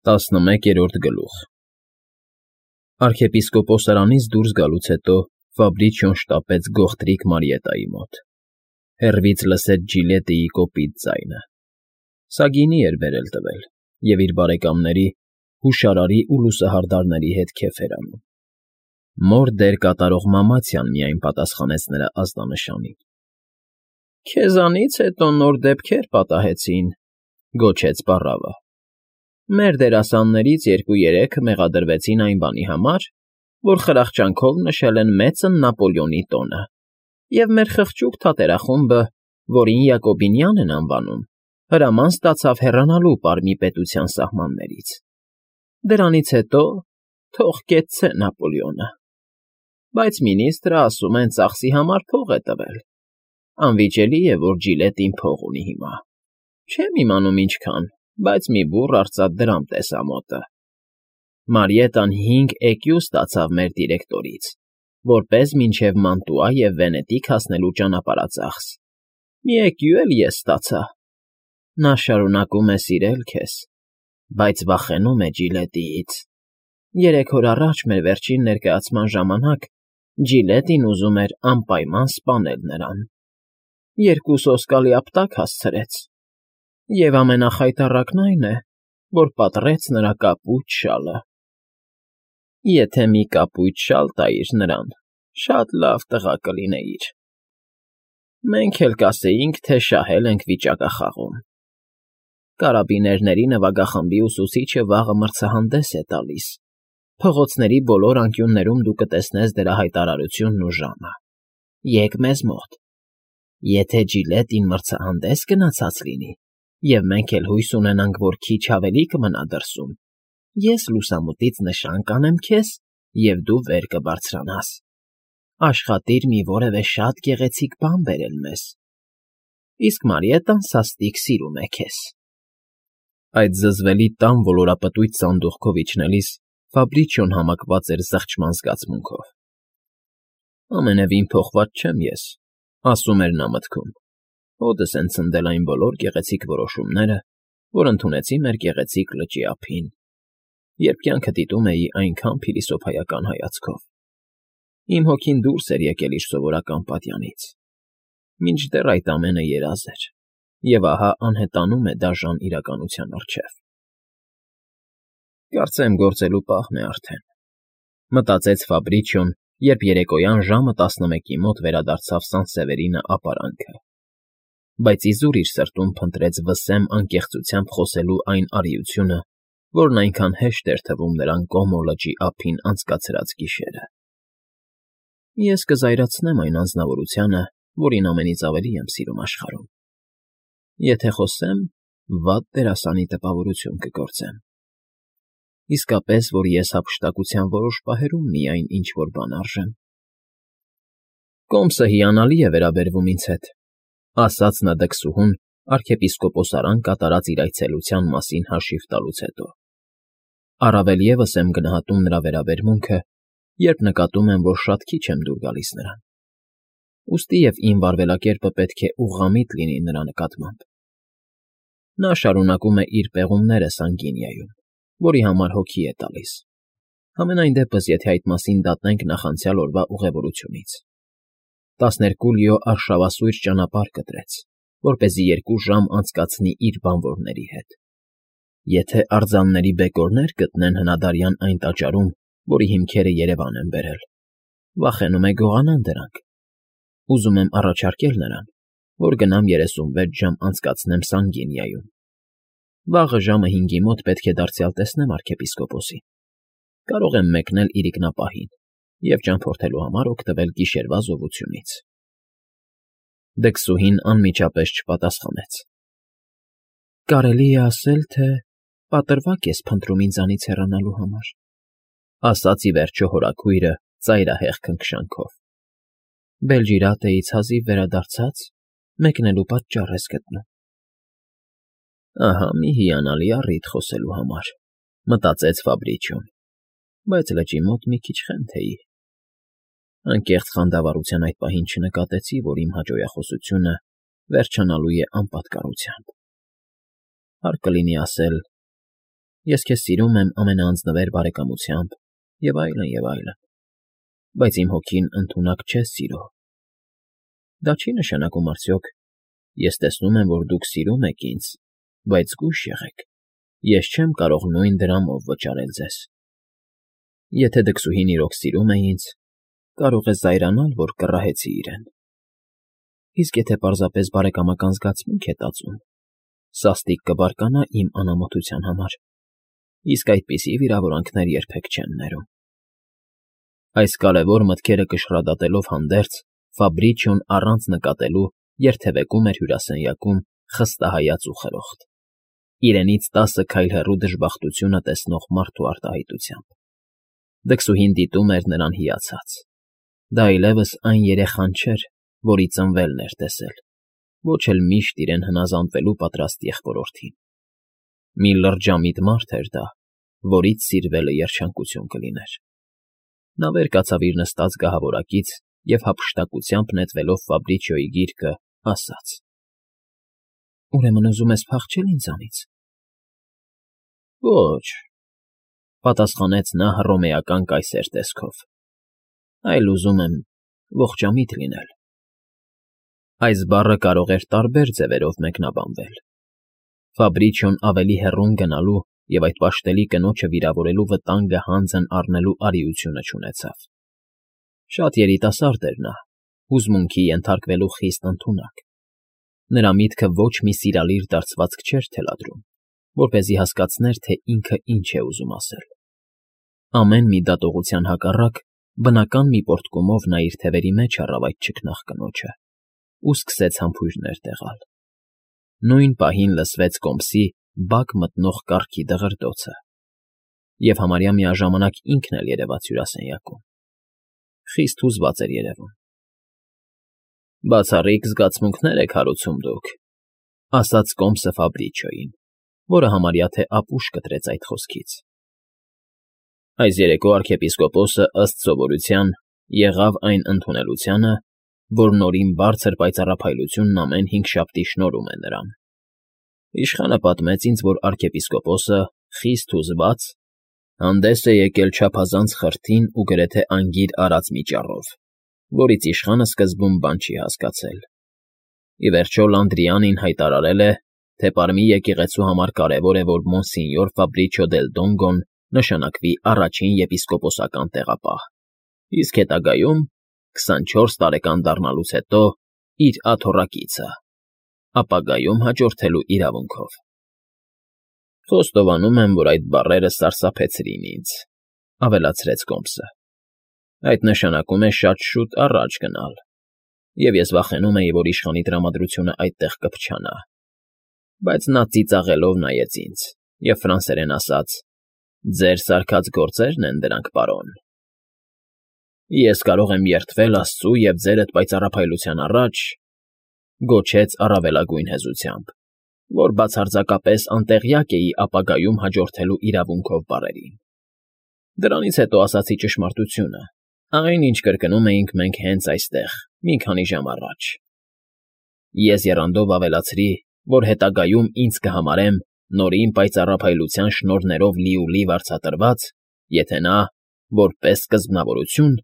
11-րդ գլուխ Արքեպիսկոպոսարանից դուրս գալուց հետո Ֆաբրիչիոն շտապեց գողտրիկ Մարիետայի մոտ. հեռվից լսեց Ջիլետիի կոպիտ ձայնը. սա գինի էր բերել տվել և իր բարեկամների՝ հուշարարի ու լուսահարդարների հետ քեֆ էր անում. մոր դեր կատարող Մամացյան միայն պատասխանեց նրա ազդանշանին։ «Քեզանից հետո նոր դեպքեր պատահեցին», գոչեց պառավը։ «Մեր դերասաններից 2-3-ը մեղադրվեցին այն բանի համար, որ խրախճանքով նշել են Մեծն Նապոլեոնի տոնը, և մեր խղճուկ թատերախումբը, որին Յակոբինյան են անվանում, հրաման ստացավ հեռանալու Պարմի պետության սահմաններից։ Դրանից հետո թող կեցցե Նապոլեոնը։ Բայց մինիստրը, ասում են, ծախսի համար փող է տվել։ Անվիճելի է, որ Ջիլետին փող ունի հիմա։ Չեմ իմանում ինչքան, բայց մի բուռ արծաթ դրամ տեսա մոտը։ Մարիետան 5 էկյու ստացավ մեր դիրեկտորից, որպես մինչև Մանտուա և Վենետիկ հասնելու ճանապարհածախս։ Մի էկյու էլ ես ստացա։ Նա շարունակում է սիրել քեզ, բայց վախենում է Ջիլետիից։ 3 օր առաջ մեր վերջին ներկայացման ժամանակ Ջիլետին ուզում էր անպայման սպանել նրան։ 2 սոսկալի ապտակ հասցրեց։ Եվ ամենախայտառակն այն է, որ պատռեց նրա կապույտ շալը։ Եթե մի կապույտ շալ տայիր նրան, շատ լավ տղա կլինեիր։ Մենք էլ կասեինք, թե շահել ենք վիճակախաղում։ Կարաբիներների նվագախմբի ուսուցիչը վաղը մրցահանդես է տալիս։ Փողոցների բոլոր անկյուններում դու կտեսնես դրա հայտարարությունն ու ժամը։ Եկ մեզ մոտ։ Եթե Ջիլետին մրցահանդես գնացած լինի, և մենք էլ հույս ունենանք, որ քիչ ավելի կմնա դրսում, ես լուսամուտից նշան կանեմ քեզ, և դու վեր կբարձրանաս։ Աշխատիր մի որևէ շատ գեղեցիկ բան բերել մեզ։ Իսկ Մարիետան սաստիկ սիրում է քեզ։ Այդ զզվելի տան ոլորապտույտ սանդուղքով իջնելիս Ֆաբրիչիոն համակված էր զղջման զգացմունքով։ Ամենևին փոխված չեմ ես, ասում էր նա մտքում։ Հոդս են ցնդել այն բոլոր գեղեցիկ որոշումները, որ ընդունեցի մեր գեղեցիկ լճի ափին, երբ կյանքը դիտում էի այնքան փիլիսոփայական հայացքով։ Իմ հոգին դուրս էր եկել իր սովորական պատյանից։ Մինչդեռ այդ ամենը երազ էր, և ահա անհետանում է դաժան իրականության առջև։ Կարծեմ գործելու պահն է արդեն, մտածեց Ֆաբրիչիոն, երբ երեկոյան ժամը 11-ի մոտ վերադարձավ Սանսևերինը ապարանքը։ Բայց իզուր իր սրտում փնտրեց վսեմ անկեղծությամբ խոսելու այն արիությունը, որն այնքան հեշտ էր թվում նրան Կոմո լճի ափին անցկացրած գիշերը։ Ես կզայրացնեմ այն անձնավորությանը, որին ամենից ավելի եմ սիրում աշխարհում։ Եթե խոսեմ, վատ դերասանի տպավորություն կգործեմ։ Իսկապես, որ ես հափշտակության որոշ պահերում միայն ինչ-որ բան արժեմ։ Կոմսը հիանալի է վերաբերվում ինձ հետ, ասաց նա դքսուհուն արքեպիսկոպոսարան կատարած իր այցելության մասին հաշիվ տալուց հետո։ Առավել ևս եմ գնահատում նրա վերաբերմունքը, երբ նկատում եմ, որ շատ քիչ եմ դուր գալիս նրան։ Ուստի և իմ վարվելակերպը պետք է ուղղամիտ լինի նրա նկատմամբ։ Նա շարունակում է իր պեղումները Սանգինիայում, որի համար հոգի է տալիս։ Համենայն դեպս, եթե այդ մասին դատենք նախանցյալ օրվա ուղևորությունից։ 12 լիո արշավասույր ճանապարհ կտրեց, որպեսզի 2 ժամ անցկացնի իր բանվորների հետ։ Եթե արձանների բեկորներ գտնեն հնադարյան այն տաճարում, որի հիմքերը Երևան են բերել, վախենում է գողանան դրանք։ Ուզում եմ առաջարկել նրան, որ գնամ 36 ժամ անցկացնեմ Սանգինիայում։ Վաղը ժամը 5-ի մոտ պետք է դարձյալ տեսնեմ արքեպիսկոպոսին։ Կարող եմ մեկնել իրիկնապահին և ճամփորդելու համար օգտվել գիշերվա զովությունից։ Դքսուհին անմիջապես չպատասխանեց։ Կարելի է ասել, թե պատրվակ ես փնտրում ինձանից հեռանալու համար, ասաց ի վերջո հորաքույրը ծայրահեղ քնքշանքով։ Բելջիրատեից հազիվ վերադարձած մեկնելու պատճառ ես գտնում։ Ահա մի հիանալի առիթ խոսելու համար, մտածեց Ֆաբրիչիոն, բայց լճի մոտ մի քիչ խենթ էի։ Անկեղծ խանդավառության այդ պահին չնկատեցի, որ իմ հաջողախոսությունը վերջանալու է անպատկառությամբ։ Հարկ կլինի ասել, Ես քեզ սիրում եմ ամենաանձնվեր բարեկամությամբ, և այլն, և այլն, բայց իմ հոգին ընդունակ չես սիրո։ Դա չի նշանակում արդյոք, ես տեսնում եմ, որ դուք սիրում եք ինձ, բայց զգույշ եղեք, ես չեմ կարող նույն դրամով վճարել ձեզ։ Եթե դքսուհին իրոք սիրում է ինձ, կարող է զայրանալ, որ կռահեցի իրեն։ Իսկ եթե պարզապես բարեկամական զգացմունք է տածում, սաստիկ կբարկանա իմ անամոթության համար, իսկ այդպիսի վիրավորանքներ երբեք չեն ներում։ Այս կարևոր մտքերը կշռադատելով հանդերձ, Ֆաբրիչիոն առանց նկատելու երթևեկում էր հյուրասենյակում խստահայաց ու խրոխտ, իրենից 10 քայլ հեռու դժբախտությունը տեսնող մարդու արտահայտությամբ։ Դքսուհին դիտում էր նրան հիացած։ Դա այլևս այն երեխան չէր, որի ծնվելն էր տեսել, ոչ էլ միշտ իրեն հնազանդվելու պատրաստ եղբորորդին։ Մի լրջամիտ մարդ էր դա, որից սիրվելը երջանկություն կլիներ։ Նա վեր կացավ իր նստած գահավորակից և հափշտակությամբ նետվելով Ֆաբրիչիոյի գիրկը, ասաց. «Ուրեմն ուզում ես փախչել ինձանից»։ «Ոչ», պատասխանեց նա հռոմեական կայսեր տեսքով, «այլ ուզում եմ ողջամիտ լինել»։ Այս բառը կարող էր տարբեր ձևերով մեկնաբանվել։ Ֆաբրիչիոն ավելի հեռուն գնալու և այդ պաշտելի կնոջը վիրավորելու վտանգը հանձն առնելու արիությունը չունեցավ։ Շատ երիտասարդ էր նա, հուզմունքի ենթարկվելու խիստ ընդունակ։ Նրա միտքը ոչ մի սիրալիր դարձվածք չէր թելադրում, որպեսզի հասկացներ, թե ինքը ինչ է ուզում ասել։ Ամեն մի դատողության հակառակ, բնական մի պոռթկումով նա իր թևերի մեջ առավ այդ չքնաղ կնոջը ու սկսեց համբույրներ տեղալ։ Նույն պահին լսվեց կոմսի բակ մտնող կառքի դղրդոցը, և համարյա միաժամանակ ինքն էլ երևաց հյուրասենյակում։ Խիստ հուզված էր երևում։ «Բացառիկ զգացմունքներ եք հարուցում դուք», ասաց կոմսը Ֆաբրիչիոյին, որը համարյա թե ապուշ կտրեց այդ խոսքից։ «Այս երեկո արքեպիսկոպոսը, ըստ սովորության, եղավ այն ընդունելությանը, որ նորին բարձր պայծառափայլությունն ամեն հինգշաբթի շնորհում է նրան։ Իշխանը պատմեց ինձ, որ արքեպիսկոպոսը, խիստ հուզված, հանդես է եկել չափազանց խրթին ու գրեթե անգիր արած մի ճառով, որից իշխանը սկզբում բան չի հասկացել։ Ի վերջո Լանդրիանին հայտարարել է, թե Պարմի եկեղեցու համար կարևոր է, որ Մոնսինյոր Ֆաբրիչիո դել Դոնգոն նշանակվի առաջին եպիսկոպոսական տեղապահ, իսկ հետագայում, 24 տարեկան դառնալուց հետո, իր աթոռակիցը, ապագայում հաջորդելու իրավունքով։ Խոստովանում եմ, որ այդ բառերը սարսափեցրին ինձ», ավելացրեց կոմսը։ «Այդ նշանակում է շատ շուտ առաջ գնալ, և ես վախենում էի, որ իշխանի տրամադրությունը այդտեղ կփչանա։ Բայց նա ծիծաղելով նայեց ինձ և ֆրանսերեն ասաց. «Ձեր սարքած գործերն են դրանք, պարոն»։ «Ես կարող եմ երդվել Աստծու և ձերդ պայծառափայլության առաջ», գոչեց առավելագույն հեզությամբ, որ բացարձակապես անտեղյակ էի ապագայում հաջորդելու իրավունքով բառերին։ Դրանից հետո ասացի ճշմարտությունը, այն, ինչ կրկնում էինք մենք հենց այստեղ, մի քանի ժամ առաջ։ Ես եռանդով ավելացրի, որ հետագայում ինձ կհամարեմ նորին պայծառափայլության շնորհներով լիուլի վարձատրված, եթե նա, որպես սկզբնավորություն,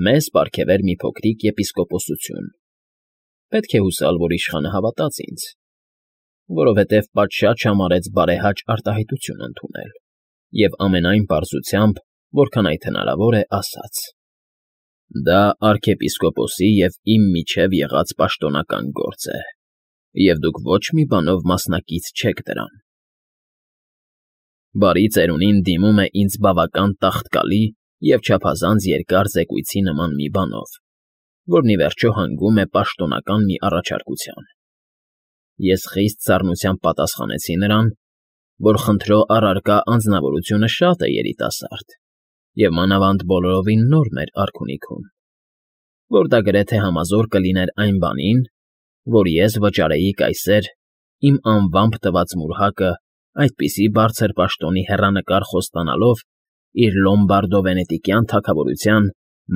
մեզ պարգևեր մի փոքրիկ եպիսկոպոսություն։ Պետք է հուսալ, որ իշխանը հավատաց ինձ, որովհետև պատշաճ համարեց բարեհաճ արտահայտություն ընդունել, և ամենայն պարզությամբ, որքան այդ հնարավոր է, ասաց. «Դա արքեպիսկոպոսի և իմ միջև եղած պաշտոնական գործ է, և դուք ոչ մի բանով մասնակից չեք դրան։ Բարի ծերունին դիմում է ինձ բավական տաղտկալի և չափազանց երկար զեկույցի նման մի բանով, որն ի վերջո հանգում է պաշտոնական մի առաջարկության։ Ես խիստ սառնությամբ պատասխանեցի նրան, որ խնդրո առարկա անձնավորությունը շատ է երիտասարդ և մանավանդ բոլորովին նոր մեր արքունիքում, որ դա գրեթե համազոր կլիներ այն բանին, որ ես վճարեի կայսեր իմ անվամբ տված մուրհակը այդպիսի բարձր պաշտոնի հեռանկար խոստանալով իր լոմբարդո֊վենետիկյան թագավորության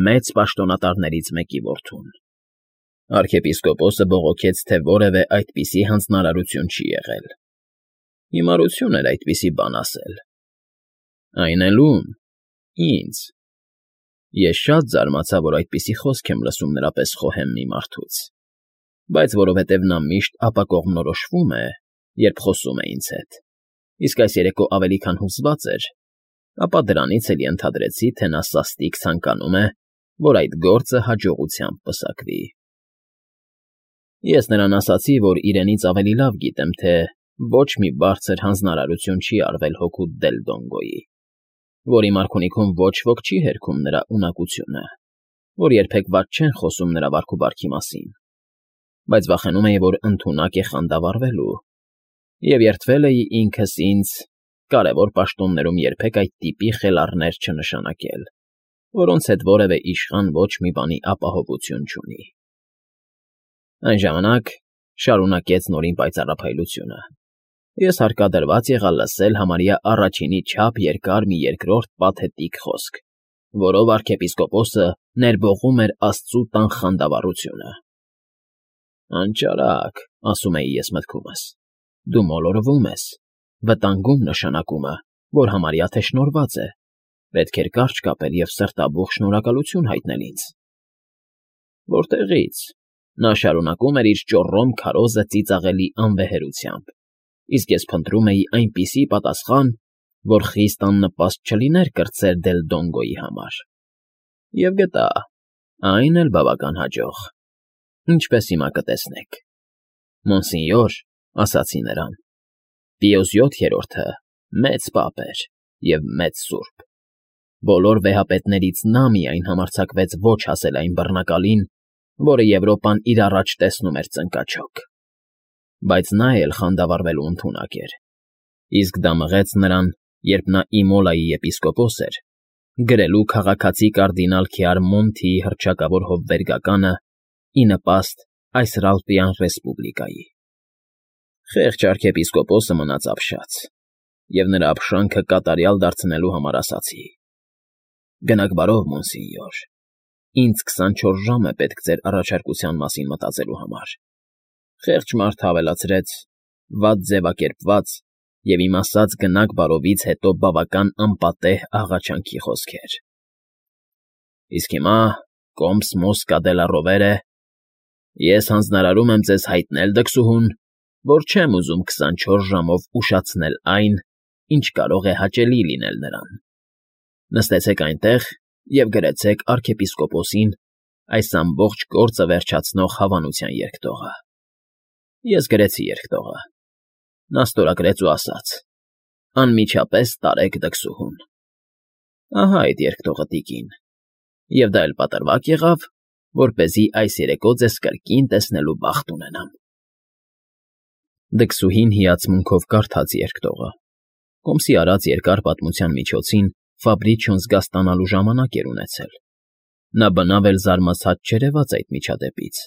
մեծ պաշտոնատարներից մեկի որդուն։ Արքեպիսկոպոսը բողոքեց, թե որևէ այդպիսի հանձնարարություն չի եղել։ Հիմարություն էր այդպիսի բան ասել, Այն էլ ում։ Ինձ։ Ես շատ զարմացա, որ այդպիսի խոսք եմ լսում նրա պես խոհեմ մի մարդուց, բայց որովհետև նա միշտ ապակողմնորոշվում է, երբ խոսում է ինձ հետ, իսկ այս երեկո ավելի քան հուզված էր, ապա դրանից էլ ենթադրեցի, թե նա սաստիկ ցանկանում է, որ այդ գործը հաջողությամբ պսակվի։ Ես նրան ասացի, որ իրենից ավելի լավ գիտեմ, թե ոչ մի բարձր հանձնարարություն չի արվել հօգուտ Դելդոնգոյի, որի մարքունիքում ոչ ոք չի հերքում նրա ունակությունը, որ երբեք վատ չեն խոսում նրա վարքուվարքի մասին, բայց վախենում էի, որ ընդունակ է խանդավառվելու, և երդվել էի ինքս ինձ կարևոր պաշտոններում երբեք այդ տիպի խելառներ չնշանակել, որոնց հետ որևէ իշխան ոչ մի բանի ապահովություն չունի։ Այն ժամանակ շարունակեց նորին պայծառափայլությունը. ես հարկադրված եղա լսել համարյա առաջինի չափ երկար մի երկրորդ պաթետիկ խոսք, որով arczepiskopos-ը ներբողում էր աստծու տան խանդավառությունը։ Անճարակ, ասում էի ես մտքումս, դու մոլորվում ես, վտանգում նշանակումը, որ համարյա թե շնորհված է, պետք էր կարճ կապել և սրտաբուխ շնորհակալություն հայտնել ինձ։ Որտեղի՞ց։ Նա շարունակում էր իր ճոռոմ քարոզը ծիծաղելի անվեհերությամբ, իսկ ես փնտրում էի այնպիսի պատասխան, որ խիստ աննպաստ չլիներ կրտսեր Դելդոնգոյի համար։ Եվ գտա, այն էլ բավական հաջող, ինչպես հիմա կտեսնեք։ Մոնսինյոր, ասացի նրան, Պիոս VII-ը մեծ պապ էր և մեծ սուրբ։ Բոլոր վեհապետներից նա միայն համարձակվեց ոչ ասել այն բռնակալին, որը Եվրոպան իր առաջ տեսնում էր ծնկաչոք։ Բայց նա էլ խանդավառվելու ընդունակ էր, իսկ դա մղեց նրան, երբ նա Իմոլայի եպիսկոպոս էր, գրելու քաղաքացի կարդինալ Քյարմոնթիի հռչակավոր հովվերգականը ի նպաստ այս Ռալպյան ռեսպուբլիկայի։ Խեղճ arczepiskopos-ը մնաց ապշած, և նրա ապշանքը կատարյալ դարձնելու համար ասացի. Գնաք բարով, մոնսինյոր, ինձ 24 ժամ է պետք ձեր առաջարկության մասին մտածելու համար։ Խեղճ մարդը ավելացրեց. վատ ձևակերպված և իմ ասած գնաք բարովից հետո բավական անպատեհ աղաչանքի խոսքեր։ Իսկ հիմա, կոմս Մոսկա դե լա Ռովերը, ես հանձնարարում եմ ձեզ հայտնել դքսուհուն, որ չեմ ուզում 24 ժամով ուշացնել այն, ինչ կարող է հաճելի լինել նրան։ Նստեցեք այնտեղ և գրեցեք arczepiskopos-ին այս ամբողջ գործը վերջացնող հավանության երկտողը։ Ես գրեցի երկտողը։ Նա ստորագրեց ու ասաց. անմիջապես տարեք դքսուհուն։ Ահա այդ երկտողը, տիկին, և դա էլ պատրվակ եղավ, որպեսզի այս երեկո ձեզ կրկին տեսնելու բախտ ունենամ։ Դքսուհին հիացմունքով կարդաց երկտողը։ Կոմսի արած երկար պատմության միջոցին Ֆաբրիչիոն զգաստանալու ժամանակ էր ունեցել։ Նա բնավ էլ զարմացած չերևաց այդ միջադեպից,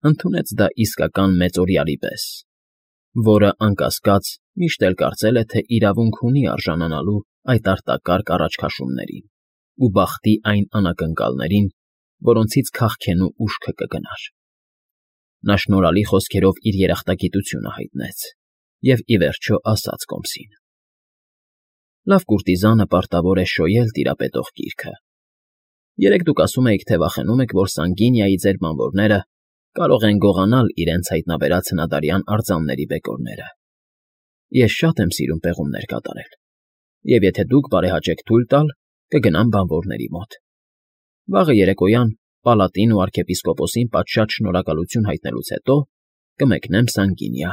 ընդունեց դա իսկական մեծօրյալի պես, որը, անկասկած, միշտ էլ կարծել է, թե իրավունք ունի արժանանալու այդ արտակարգ առաջքաշումներին ու բախտի այն անակնկալներին, որոնցից քաղքենու ուշքը կգնար։ Նա շնորհալի խոսքերով իր երախտագիտությունը հայտնեց և, ի վերջո, ասաց կոմսին. Լավ կուրտիզանը պարտավոր է շոյել տիրապետող գիրքը։ Երեկ դուք ասում էիք, թե վախենում եք, որ Սանգինիայի ձեր բանվորները կարող են գողանալ իրենց հայտնաբերած հնադարյան արձանների բեկորները։ Ես շատ եմ սիրում պեղումներ կատարել, և եթե դուք բարեհաճեք թույլ տալ, կգնամ բանվորների մոտ։ Վաղը երեկոյան պալատին ու arczepiskopos-ին պատշաճ շնորհակալություն հայտնելուց հետո կմեկնեմ Սանգինիա։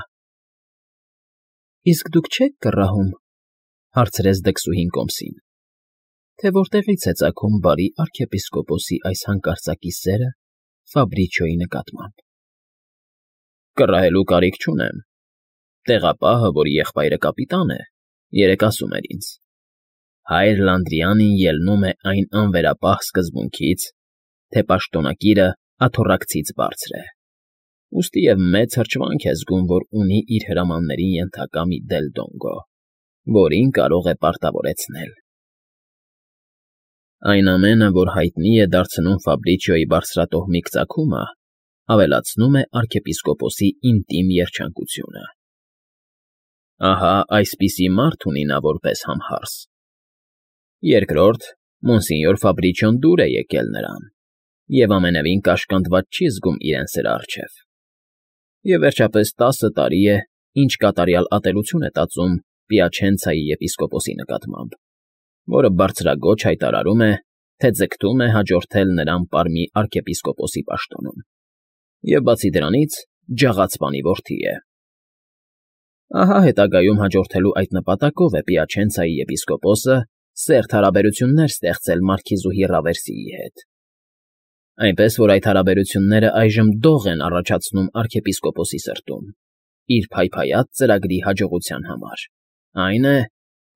Իսկ դուք չե՞ք կռահում, հարցրեց դքսուհին կոմսին, թե որտեղից է ծագում բարի arczepiskopos-ի այս հանկարծակի սերը Ֆաբրիչիոյի նկատմամբ։ Կռահելու կարիք չունեմ։ Տեղապահը, որի եղբայրը կապիտան է, երեկ ասում էր ինձ. հայր Լանդրիանին ելնում է այն անվերապահ սկզբունքից, թե պաշտոնակիրը աթոռակցից բարձր է, ուստի և մեծ հրճվանք է զգում, որ ունի իր հրամաններին ենթակա մի Դելդոնգո, որին կարող է պարտավորեցնել։ Այն ամենը, որ հայտնի է դարձնում Ֆաբրիչիոյի բարձրատոհմիկ ծագումը, ավելացնում է arczepiskopos-ի ինտիմ երջանկությունը։ Ահա այսպիսի մարդ ունի նա որպես համհարս, Երկրորդ, մոնսինյոր Ֆաբրիչիոն դուր է եկել նրան և ամենևին կաշկանդված չի զգում իրեն սրա առջև, և վերջապես 10 տարի է, ինչ կատարյալ ատելություն է տածում Պիաչենցայի եպիսկոպոսի նկատմամբ, որը բարձրաձոչ հայտարարում է, թե ձգտում է հաջորդել նրան Պարմի արքեպիսկոպոսի պաշտոնում և, բացի դրանից, ջաղացպանի որդի է։ Ահա հետագայում հաջորդելու այդ նպատակով է Պիաչենցայի եպիսկոպոսը սերտ հարաբերություններ ստեղծել մարքիզուհի Ռավերսիի հետ, այնպես որ այդ հարաբերությունները այժմ դող են առաջացնում արքեպիսկոպոսի սրտում իր փայփայած ծրագրի հաջողության համար, այն է,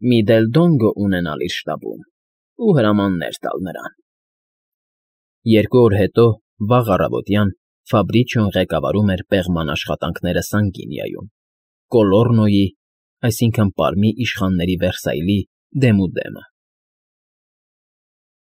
մի դել Դոնգո ունենալ իր շտաբում ու հրամաններ տալ նրան։ 2 օր հետո, վաղ առավոտյան, Ֆաբրիչիոն ղեկավարում էր պեղման աշխատանքները Սանգինիայում, Կոլոռնոյի, այսինքն՝ Պարմի իշխանների Վերսայլի դեմուդեմը։